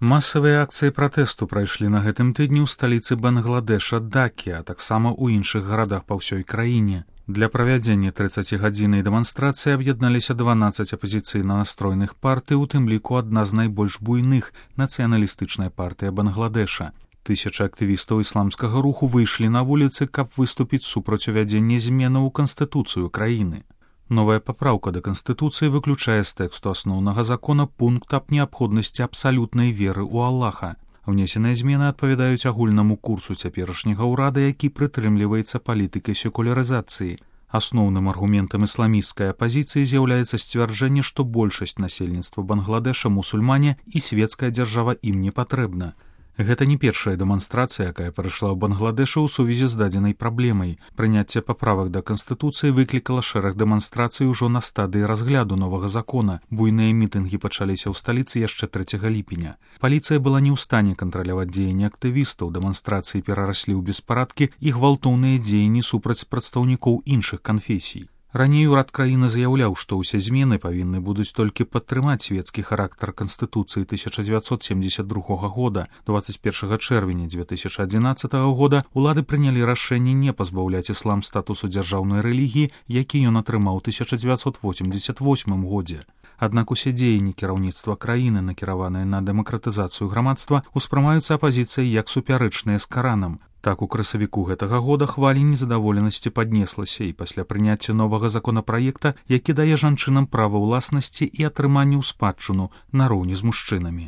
Масавыя акцыі пратэсту прайшлі на гэтым тыдні ў сталіцы Бангладэша Дакі, а таксама ў іншых гарадах па ўсёй краіне. Для правядзення 30-гадзіннай дэманстрацыі аб'ядналіся 12 апазіцыйна настроеных партый, у тым ліку адна з найбольш буйных — нацыяналістычная партыя Бангладэша. Тысячы актывістаў ісламскага руху выйшлі на вуліцы, каб выступіць супраць увядзення зменаў у канстытуцыю краіны. Новая папраўка да Канстытуцыі выключае з тэксту асноўнага закона пункт аб неабходнасці абсалютнай веры ў Аллаха. Внесеныя змены адпавядаюць агульнаму курсу цяперашняга ўрада, які прытрымліваецца палітыкай секулярызацыі. Асноўным аргументам ісламісцкай апазіцыі з'яўляецца сцвярджэнне, што большасць насельніцтва Бангладэша мусульмане і светская дзяржава ім не патрэбна. Гэта не першая дэманстрацыя, якая прайшла ў Бангладэшу ў сувязі з дадзенай праблемай. Прыняцце паправак да Канстытуцыі выклікала шэраг дэманстрацый ужо на стадыі разгляду новага закона. Буйныя мітынгі пачаліся ў сталіцы яшчэ 3 ліпеня. Паліцыя была не ў стане кантраляваць дзеянні актывістаў, дэманстрацыі перараслі ў беспарадкі і гвалтоўныя дзеянні супраць прадстаўнікоў іншых канфесій. Раней урад краіны заяўляў, што ўсе змены павінны будуць толькі падтрымаць свецкі характар Канстытуцыі 1972 года. 21 чэрвеня 2011 года улады прынялі рашэнне не пазбаўляць іслам статусу дзяржаўнай рэлігіі, які ён атрымаў у 1988 годзе. Аднак усе дзеянні кіраўніцтва краіны, накіраваныя на дэмакратызацыю грамадства, успрымаюцца апазіцыяй як супярэчныя з Каранам. Так, у красавіку гэтага года хваля незадаволенасці паднеслася і пасля прыняцця новага законапраекта, які дае жанчынам права ўласнасці і атрыманне ў спадчыну нароўні з мужчынамі.